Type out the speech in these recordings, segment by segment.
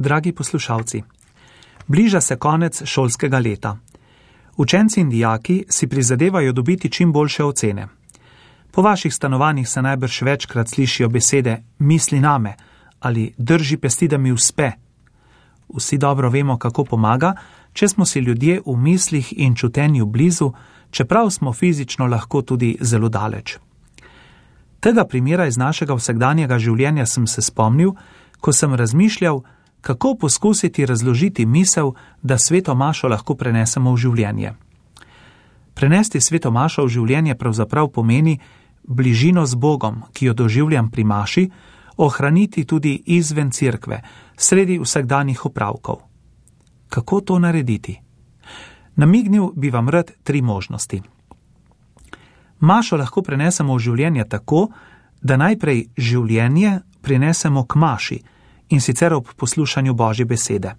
Dragi poslušalci, bliža se konec šolskega leta. Učenci in dijaki si prizadevajo dobiti čim boljše ocene. Po vaših stanovanjih se najbrž večkrat slišijo besede misli name ali drži pesti, da mi uspe. Vsi dobro vemo, kako pomaga, če smo si ljudje v mislih in čutenju blizu, čeprav smo fizično lahko tudi zelo daleč. Tega primera iz našega vsakdanjega življenja sem se spomnil, ko sem razmišljal, kako poskusiti razložiti misel, da sveto mašo lahko prenesemo v življenje. Prenesti sveto mašo v življenje pravzaprav pomeni bližino z Bogom, ki jo doživljam pri maši, ohraniti tudi izven cerkve, sredi vsakdanjih opravkov. Kako to narediti? Namignil bi vam rad 3 možnosti. Mašo lahko prenesemo v življenje tako, da najprej življenje prinesemo k maši, in sicer ob poslušanju Božje besede.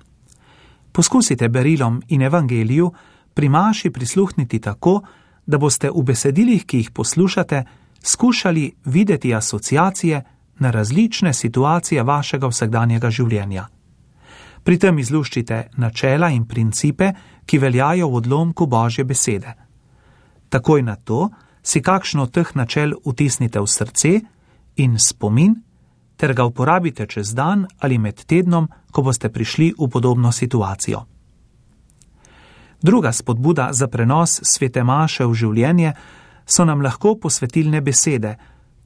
Poskusite berilom in evangeliju pri maši prisluhniti tako, da boste v besedilih, ki jih poslušate, skušali videti asociacije na različne situacije vašega vsakdanjega življenja. Pri tem izluščite načela in principe, ki veljajo v odlomku Božje besede. Takoj na to si kakšno od teh načel vtisnite v srce in spomin, ter ga uporabite čez dan ali med tednom, ko boste prišli v podobno situacijo. Druga spodbuda za prenos svete maše v življenje so nam lahko posvetilne besede: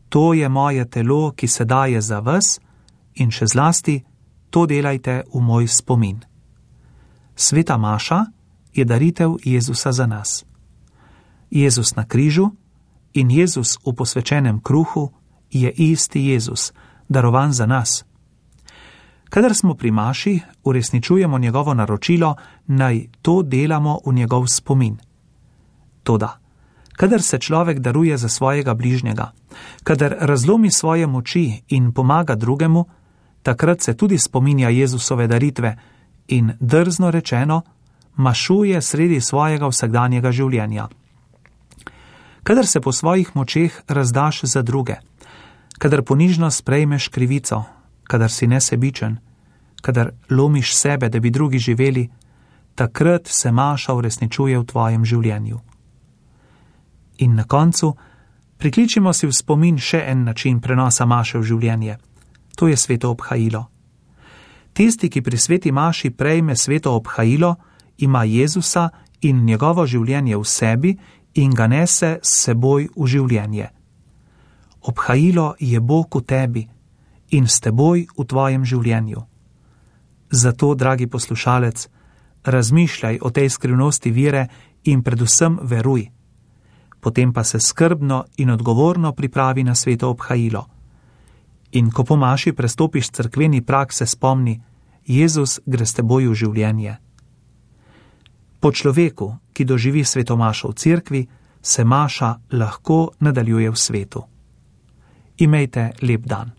to je moje telo, ki se daje za vas, in še zlasti, to delajte v moj spomin. Sveta maša je daritev Jezusa za nas. Jezus na križu in Jezus v posvečenem kruhu je isti Jezus, darovan za nas. Kadar smo pri maši, uresničujemo njegovo naročilo, naj to delamo v njegov spomin. Toda, kadar se človek daruje za svojega bližnjega, kadar razlomi svoje moči in pomaga drugemu, takrat se tudi spominja Jezusove daritve in, drzno rečeno, mašuje sredi svojega vsakdanjega življenja. Kadar se po svojih močeh razdaš za druge, kadar ponižno sprejmeš krivico, kadar si nesebičen, kadar lomiš sebe, da bi drugi živeli, takrat se maša uresničuje v tvojem življenju. In na koncu prikličimo si v spomin še en način prenosa maše v življenje. To je sveto obhajilo. Tisti, ki pri sveti maši prejme sveto obhajilo, ima Jezusa in njegovo življenje v sebi in ga nese s seboj v življenje. Obhajilo je Bog v tebi in s teboj v tvojem življenju. Zato, dragi poslušalec, razmišljaj o tej skrivnosti vere in predvsem veruj. Potem pa se skrbno in odgovorno pripravi na sveto obhajilo. In ko po maši prestopiš cerkveni prag, se spomni, Jezus gre s teboj v življenje. Po človeku, ki doživi sveto mašo v cerkvi, se maša lahko nadaljuje v svetu. Imejte lep dan.